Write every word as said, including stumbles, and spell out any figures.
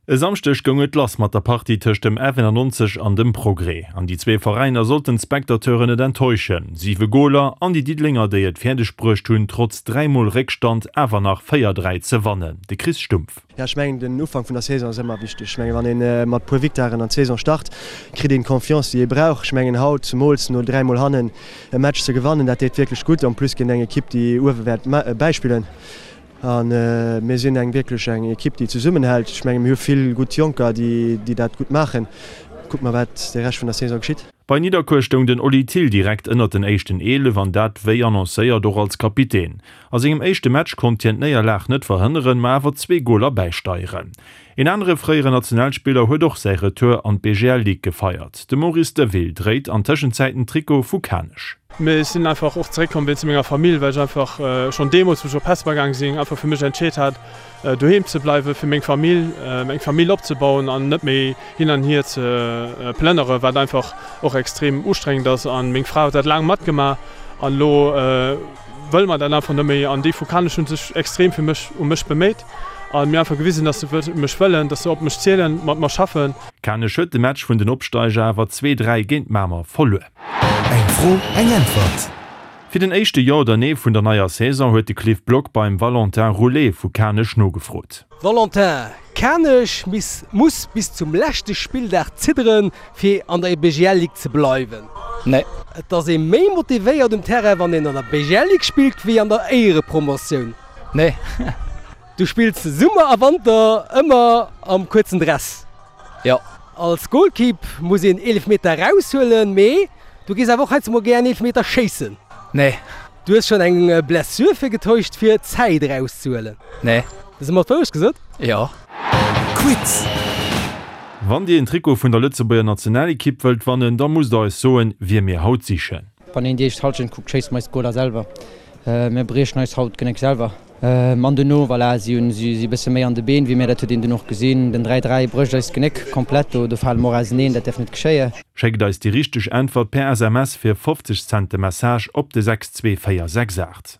E Samschdeg goung et lass mat der Partie tëscht dem F eenannonzeg an dem Progrès. An déi zwee Veräiner sollten d'Spectateuren net enttäuschen. Siwe Goler an déi Diddelenger, déi et fäerdeg bruecht hunn, trotz dräi Mol Réckstand awer nach véier, dräi ze wannen. De Chris Stumpf. Jo, ech mengen den Ufank vun der Saison ass ëmmer wichteg. Ech mengen, wann ee mat puer Victoiren an d'Saison start, kritt een d'Confiance, déi ee brauch. Ech mengen haut, zemools no dräi Mol hannen, e Match ze gewannen, dat deet wierklech gutt. En plus géint eng Ekipp, déi uewe wäert bäispillen. A mir sinn eng wierklech eng Ekipp, déi zesummenhält. Ech menge mir hu vill gutt Jonker, déi dat gutt maachen. Kucke mer, wat de Rescht vun der Saison geschitt. Bei Nidderkuer stoung den Oli Thill direkt ënnert den éischten eelef an dat wéi annoncéiert och als Kapitän. A sengem éischte Match konnt hien d'Néierlag net verhënneren, ma awer zwee Goler bäisteieren. Een anere fréieren Nationalspiller huet och säi Retour an d'BGL Ligue gefeiert. De Maurice Deville dréit an Tëschenzäit den Trikot vu Kanech. Mee ech sinn einfach och zeréckkomm wéinst menger Famill, well ech einfach schonn deemools, wou ech op Hesper gaang sinn, einfach fir mech entscheet hat, doheem ze bleiwen, fir meng Famill, eng Famill opzebauen an net méi hin an hier ze plënnere, wat einfach och extrem ustrengend ass. A meng Fra huet dat laang matgemaach an elo wëlle mer dat einfach net méi. An déi vu Kanech hu sech extrem fir mech, u mech beméit a mir einfach gewisen, dass se mech wëllen, dass se op mech zielen, mat mer schaffen. Kanech huet de Match vun den Opsteiger awer zwee, dräi géint Mamer verluer. Eng Fro, eng Äntwert! Fir den éischte Jo oder Nee vun der neier Saison huet de Cliff Block beim Valentin Roulet vu Kanech nogefrot. Valentin, Kanech muss bis zum leschte Spilldag zidderen, fir an der B G L Ligue ze bleiwen. Nee. Et ass ee méi motivéiert um Terrain, wann een an der B G L Ligue spillt, wéi an der Éierepromotioun. Nee. Du spills Summer a Wanter ëmmer am kuerzen Dress. Jo. Als Golkipp muss een Eelefmeter eraushuelen, mee du gees awer och heiansdo mol gär en Eelefmeter schéissen. Nee. Du hues schonn eng Blessure virgetäuscht, fir Zäit erauszehuelen. Nee. Hues de mer d'Wourecht gesot? Jo. Quiz. Wann Dir een Trikot vun der Lëtzebuerger Nationalekipp wëllt wannen, da musst der eis soen, wie mir haut sichen. Wann een déi éischt Hallschent kuckt, schéisse mer eis d'Goler selwer. Mir briechen eis haut d'Genéck selwer. An duerno, voilà, si hunn si e bësse méi an de Been wéi mir, dat huet een dunn och gesinn. Den dräi dräi brécht eis d'Genéck komplett, do do fale mer och auseneen, dat däerf net geschéien. Schéckt eis déi richteg Äntwert per S M S fir fofzeg Cent de Message op de sechs zwee véier sechs aacht.